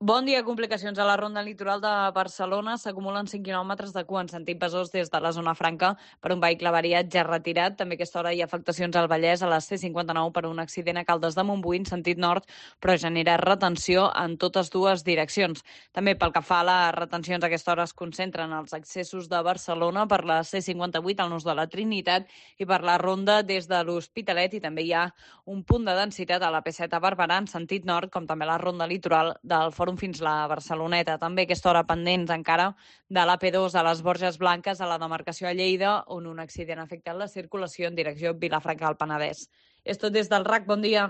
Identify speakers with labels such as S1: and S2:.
S1: Bon dia. Complicacions a la ronda litoral de Barcelona. S'acumulen 5 quilòmetres de cua en sentit Besòs des de la zona franca per un vehicle avariat ja retirat. També a aquesta hora hi ha afectacions al Vallès a la C59 per un accident a Caldes de Montbui en sentit nord, però genera retenció en totes dues direccions. També pel que fa a les retencions, a aquesta hora es concentren els accessos de Barcelona per la C58 al nus de la Trinitat i per la ronda des de l'Hospitalet, i també hi ha un punt de densitat a la P7 a Barberà en sentit nord, com també a la ronda litoral del Fòrum fins la Barceloneta. També a aquesta hora pendents encara de l'AP2 a les Borges Blanques a la demarcació a Lleida, on un accident ha afectat la circulació en direcció Vilafranca del Penedès. És tot des del RAC. Bon dia.